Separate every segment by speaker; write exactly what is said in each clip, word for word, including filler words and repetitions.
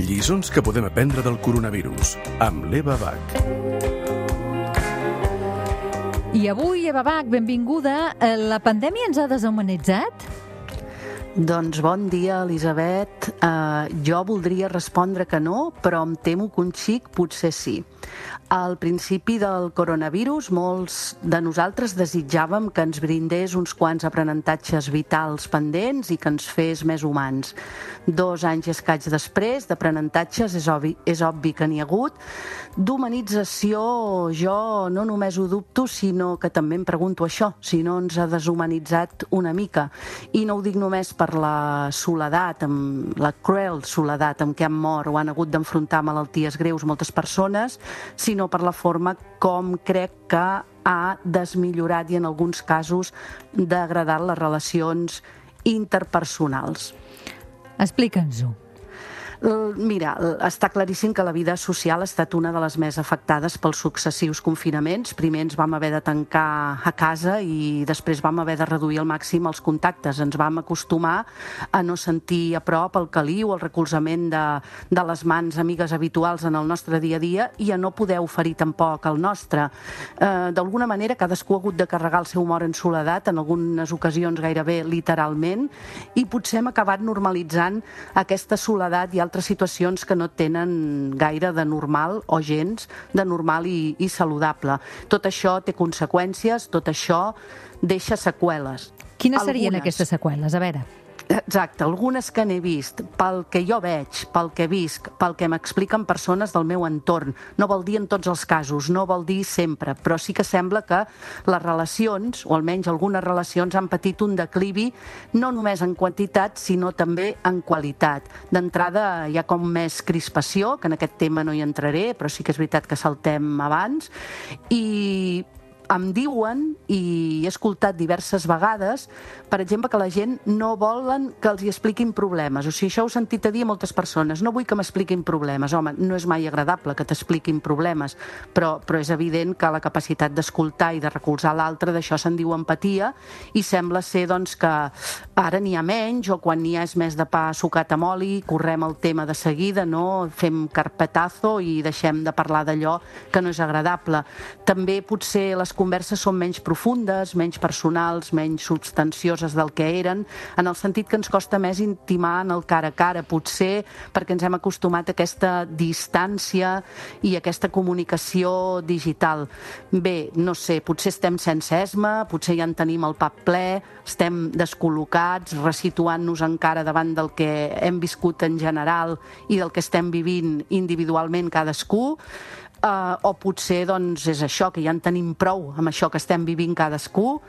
Speaker 1: Lliçons que podem aprendre del coronavirus, amb l'Eva Bach.
Speaker 2: I avui, Eva Bach, benvinguda. La pandèmia ens ha deshumanitzat?
Speaker 3: Doncs bon dia, Elisabet. Uh, jo voldria respondre que no, però em temo que un xic potser sí. Al principi del coronavirus, molts de nosaltres desitjàvem que ens brindés uns quants aprenentatges vitals pendents i que ens fes més humans. Dos anys i escaig després d'aprenentatges és obvi, és obvi que n'hi ha hagut. D'humanització jo no només ho dubto, sinó que també em pregunto això, si no ens ha deshumanitzat una mica. I no ho dic només per la soledat, amb la cruel soledat amb què han mort o han hagut d'enfrontar malalties greus moltes persones, sinó per la forma com crec que ha desmillorat i en alguns casos degradat les relacions interpersonals.
Speaker 2: Explica'ns-ho.
Speaker 3: Mira, està claríssim que la vida social ha estat una de les més afectades pels successius confinaments. Primer ens vam haver de tancar a casa i després vam haver de reduir al màxim els contactes. Ens vam acostumar a no sentir a prop el caliu, el recolzament de, de les mans amigues habituals en el nostre dia a dia i a no poder oferir tampoc el nostre. Eh, D'alguna manera, cadascú ha hagut de carregar el seu humor en soledat, en algunes ocasions gairebé literalment, i potser hem acabat normalitzant aquesta soledat i altres situacions que no tenen gaire de normal o gens de normal i, i saludable. Tot això té conseqüències, tot això deixa seqüeles.
Speaker 2: Quines serien Algunes. aquestes seqüeles? A veure...
Speaker 3: Exacte, algunes que n'he vist, pel que jo veig, pel que visc, pel que m'expliquen persones del meu entorn. No vol dir en tots els casos, no vol dir sempre, però sí que sembla que les relacions, o almenys algunes relacions, han patit un declivi no només en quantitat, sinó també en qualitat. D'entrada hi ha com més crispació, que en aquest tema no hi entraré, però sí que és veritat que saltem abans, i... em diuen, i he escoltat diverses vegades, per exemple, que la gent no volen que els hi expliquin problemes. O sigui, això ho he sentit a dir a moltes persones. No vull que m'expliquin problemes. Home, no és mai agradable que t'expliquin problemes, però, però és evident que la capacitat d'escoltar i de recolzar l'altre, d'això se'n diu empatia, i sembla ser doncs, que ara n'hi ha menys, o quan n'hi ha és més de pa sucat amb oli, correm el tema de seguida, no? Fem carpetazo i deixem de parlar d'allò que no és agradable. També potser les converses són menys profundes, menys personals, menys substancioses del que eren, en el sentit que ens costa més intimar en el cara a cara, potser perquè ens hem acostumat a aquesta distància i a aquesta comunicació digital. Bé, no sé, potser estem sense esma, potser ja en tenim el pap ple, estem descol·locats, resituant-nos encara davant del que hem viscut en general i del que estem vivint individualment cadascú. Uh, o potser doncs, és això, que ja en tenim prou amb això que estem vivint cadascú,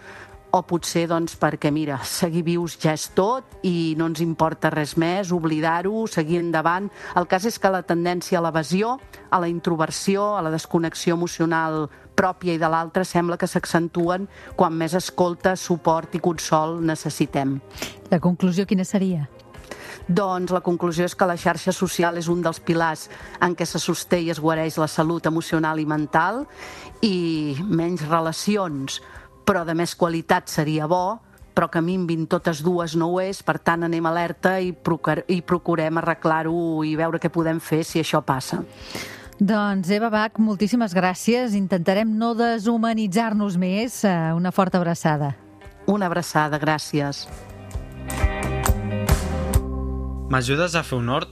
Speaker 3: o potser doncs, perquè, mira, seguir vius ja és tot i no ens importa res més, oblidar-ho, seguir endavant. El cas és que la tendència a l'evasió, a la introversió, a la desconnexió emocional pròpia i de l'altra sembla que s'accentuen quan més escolta, suport i consol necessitem.
Speaker 2: La conclusió quina seria?
Speaker 3: Doncs la conclusió és que la xarxa social és un dels pilars en què se sosté i es guareix la salut emocional i mental, i menys relacions, però de més qualitat seria bo, però que minvin totes dues no ho és, per tant anem alerta i, procur i procurem arreglar-ho i veure què podem fer si això passa.
Speaker 2: Doncs Eva Bach, moltíssimes gràcies. Intentarem no deshumanitzar-nos més. Una forta abraçada.
Speaker 3: Una abraçada, gràcies.
Speaker 4: M'ajudes a fer un hort